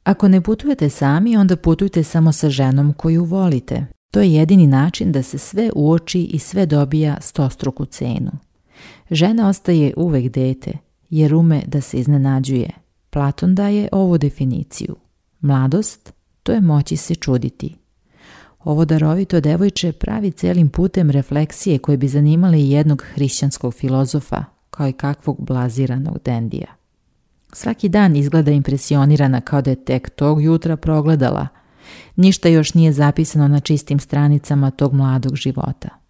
Ako ne putujete sami, onda putujte samo sa ženom koju volite. To je jedini način da se sve uoči i sve dobija stostruku cenu. Žena ostaje uvek dete, jer ume da se iznenađuje. Platon daje ovu definiciju. Mladost, to je moći se čuditi. Ovo darovito devojče pravi celim putem refleksije koje bi zanimale i jednog hrišćanskog filozofa, kao i kakvog blaziranog dendija. Svaki dan izgleda impresionirana kao da je tek tog jutra progledala. Ništa još nije zapisano na čistim stranicama tog mladog života.